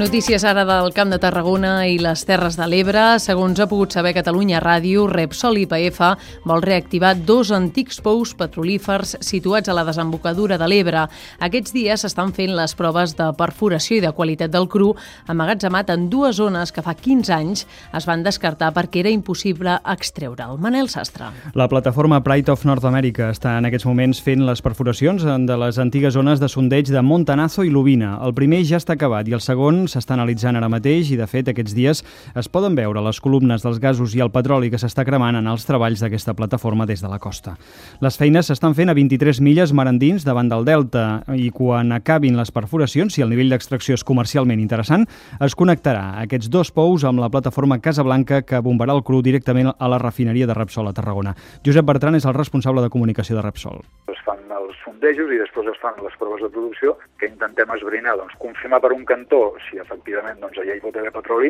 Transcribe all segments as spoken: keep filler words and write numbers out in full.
Notícies ara del Camp de Tarragona i les Terres de l'Ebre. Segons ha pogut saber Catalunya Ràdio, Repsol i I P F vol reactivar dos antics pous petrolífers situats a la desembocadura de l'Ebre. Aquests dies s'estan fent les proves de perforació i de qualitat del cru emmagatzemat en dues zones que fa quinze anys es van descartar perquè era impossible extreure'l. Manel Sastre. La plataforma Pride of North America està en aquests moments fent les perforacions de les antigues zones de sondeig de Montanazo i Lubina. El primer ja està acabat i el segon s'està analitzant ara mateix i, de fet, aquests dies es poden veure les columnes dels gasos i el petroli que s'està cremant en els treballs d'aquesta plataforma des de la costa. Les feines s'estan fent a vint-i-tres milles mar endins davant del delta i quan acabin les perforacions, si el nivell d'extracció és comercialment interessant, es connectarà aquests dos pous amb la plataforma Casablanca que bombarà el cru directament a la refineria de Repsol a Tarragona. Josep Bertran és el responsable de comunicació de Repsol. Es fan els sondejos i després es fan les proves de producció que intentem esbrinar, doncs, confirmar per un cantó si efectivament doncs, allà hi pot haver petroli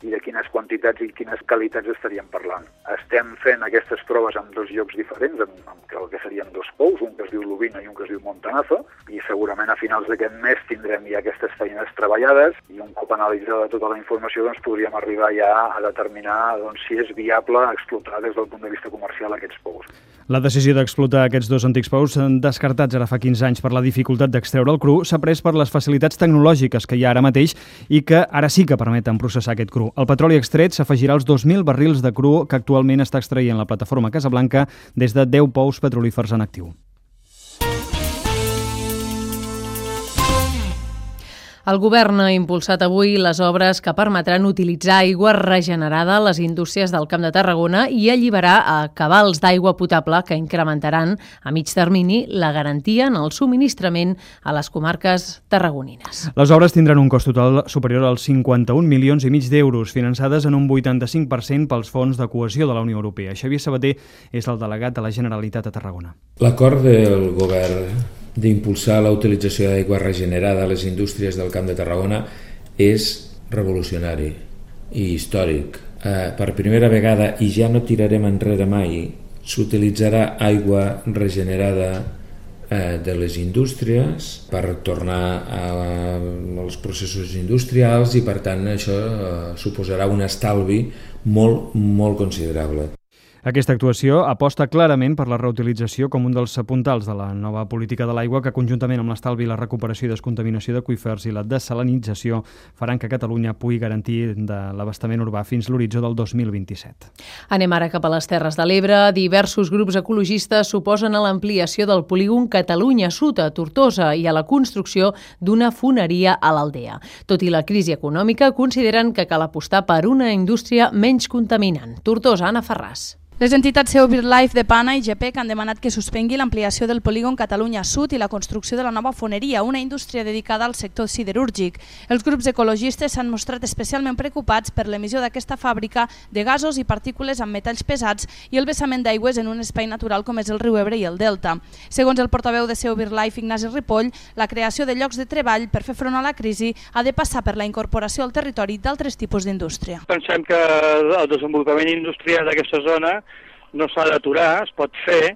i de quines quantitats i quines qualitats estaríem parlant. Estem fent aquestes proves en dos llocs diferents, en, en el que serien dos pous, un que es diu Lubina i un que es diu Montanazo, i segurament a finals d'aquest mes tindrem ja aquestes feines treballades i un cop analitzada tota la informació doncs, podríem arribar ja a determinar doncs, si és viable explotar des del punt de vista comercial aquests pous. La decisió d'explotar aquests dos antics pous, descartats ara fa quinze anys per la dificultat d'extreure el cru, s'ha pres per les facilitats tecnològiques que hi ha ara mateix i que ara sí que permeten processar aquest cru. El petroli extret s'afegirà als dos mil barrils de cru que actualment està extraient la plataforma Casablanca des de deu pous petrolífers en actiu. El govern ha impulsat avui les obres que permetran utilitzar aigua regenerada a les indústries del Camp de Tarragona i alliberar a cabals d'aigua potable que incrementaran a mig termini la garantia en el subministrament a les comarques tarragonines. Les obres tindran un cost total superior als cinquanta-un milions i mig d'euros, finançades en un vuitanta-cinc per cent pels fons de cohesió de la Unió Europea. Xavier Sabater és el delegat de la Generalitat a Tarragona. L'acord del govern d'impulsar la utilització d'aigua regenerada a les indústries del Camp de Tarragona és revolucionari i històric. Eh, per primera vegada, i ja no tirarem enrere mai, s'utilitzarà aigua regenerada eh, de les indústries per tornar a, als processos industrials i, per tant, això eh, suposarà un estalvi molt, molt considerable. Aquesta actuació aposta clarament per la reutilització com un dels puntals de la nova política de l'aigua que, conjuntament amb l'estalvi, la recuperació i descontaminació d'aqüífers i la desalinització, faran que Catalunya pugui garantir de l'abastament urbà fins l'horitzó del dos mil vint-i-set. Anem ara cap a les Terres de l'Ebre. Diversos grups ecologistes s'oposen a l'ampliació del polígon Catalunya Sud a Tortosa i a la construcció d'una foneria a l'Aldea. Tot i la crisi econòmica, consideren que cal apostar per una indústria menys contaminant. Tortosa, Anna Ferràs. Les entitats C E O BirdLife de Pana i G P E C han demanat que suspengui l'ampliació del polígon Catalunya Sud i la construcció de la nova foneria, una indústria dedicada al sector siderúrgic. Els grups ecologistes s'han mostrat especialment preocupats per l'emissió d'aquesta fàbrica de gasos i partícules amb metalls pesats i el vessament d'aigües en un espai natural com és el riu Ebre i el Delta. Segons el portaveu de C E O BirdLife, Ignasi Ripoll, la creació de llocs de treball per fer front a la crisi ha de passar per la incorporació al territori d'altres tipus d'indústria. Pensem que el desenvolupament industrial d'aquesta zona no s'ha d'aturar, es pot fer,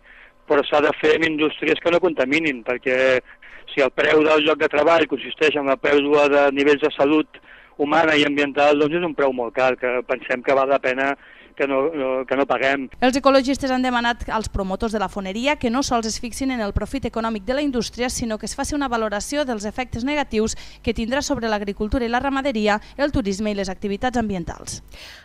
però s'ha de fer en indústries que no contaminin, perquè si el preu del lloc de treball consisteix en la pèrdua de nivells de salut humana i ambiental, doncs és un preu molt car, que pensem que val la pena que no, no, que no paguem. Els ecologistes han demanat als promotors de la foneria que no sols es fixin en el profit econòmic de la indústria, sinó que es faci una valoració dels efectes negatius que tindrà sobre l'agricultura i la ramaderia, el turisme i les activitats ambientals.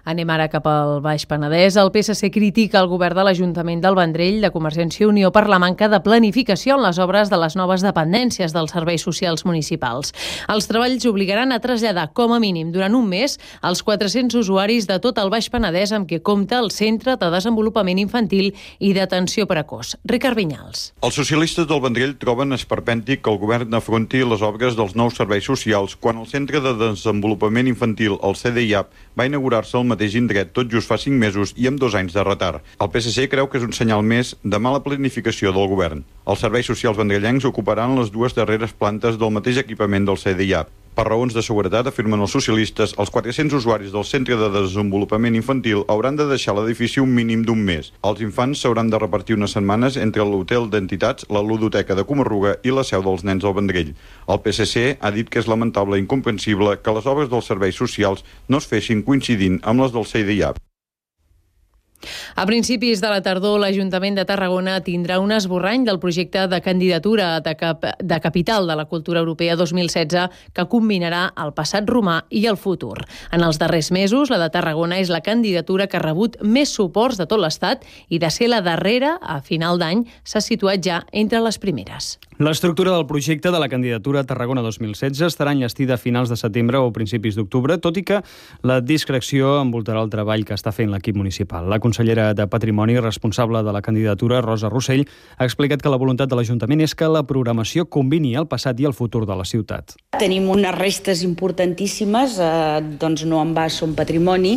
Anem ara cap al Baix Penedès. El P S C critica el govern de l'Ajuntament del Vendrell de Convergència i Unió per la manca de planificació en les obres de les noves dependències dels serveis socials municipals. Els treballs obligaran a traslladar com a mínim durant un mes els quatre-cents usuaris de tot el Baix Penedès amb què compta el Centre de Desenvolupament Infantil i d'Atenció Precoç. Ricard Vinyals. Els socialistes del Vendrell troben esperpèntic que el govern afronti les obres dels nous serveis socials quan el Centre de Desenvolupament Infantil, el C D I A P, va inaugurar-se al mateix indret tot just fa cinc mesos i amb dos anys de retard. El P S C creu que és un senyal més de mala planificació del govern. Els serveis socials vendrellencs ocuparan les dues darreres plantes del mateix equipament del C D I A P. Per raons de seguretat, afirmen els socialistes, els quatre-cents usuaris del Centre de Desenvolupament Infantil hauran de deixar l'edifici un mínim d'un mes. Els infants s'hauran de repartir unes setmanes entre l'hotel d'entitats, la ludoteca de Comarruga i la seu dels nens del Vendrell. El P S C ha dit que és lamentable i incomprensible que les obres dels serveis socials no es fessin coincidint amb les del C D I A P. A principis de la tardor, l'Ajuntament de Tarragona tindrà un esborrany del projecte de candidatura de, cap, de capital de la cultura europea dos mil setze que combinarà el passat romà i el futur. En els darrers mesos, la de Tarragona és la candidatura que ha rebut més suports de tot l'Estat i de ser la darrera, a final d'any, s'ha situat ja entre les primeres. L'estructura del projecte de la candidatura Tarragona dos mil setze estarà enllestida a finals de setembre o principis d'octubre, tot i que la discreció envoltarà el treball que està fent l'equip municipal. La consellera de Patrimoni, responsable de la candidatura, Rosa Rossell, ha explicat que la voluntat de l'Ajuntament és que la programació combini el passat i el futur de la ciutat. Tenim unes restes importantíssimes, eh, doncs no en va, són patrimoni,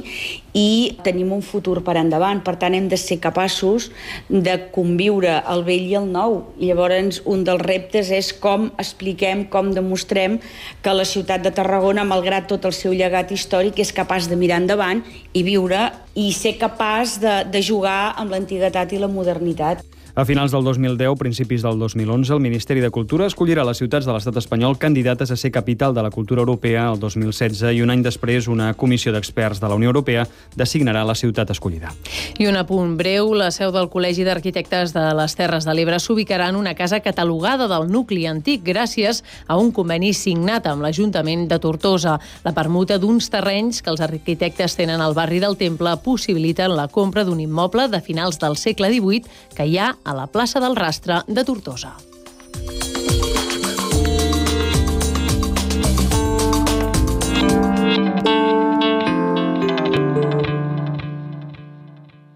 i tenim un futur per endavant. Per tant, hem de ser capaços de conviure el vell i el nou. I llavors, un dels reptes és com expliquem, com demostrem que la ciutat de Tarragona, malgrat tot el seu llegat històric, és capaç de mirar endavant i viure i ser capaç de, de jugar amb l'antiguitat i la modernitat. A finals del dos mil deu, principis del dos mil onze, el Ministeri de Cultura escollirà les ciutats de l'estat espanyol candidates a ser capital de la cultura europea el dos mil setze i un any després una comissió d'experts de la Unió Europea designarà la ciutat escollida. I un apunt breu, la seu del Col·legi d'Arquitectes de les Terres de l'Ebre s'ubicarà en una casa catalogada del nucli antic gràcies a un conveni signat amb l'Ajuntament de Tortosa. La permuta d'uns terrenys que els arquitectes tenen al barri del Temple possibiliten la compra d'un immoble de finals del segle divuit que hi ha a la plaça del Rastre de Tortosa.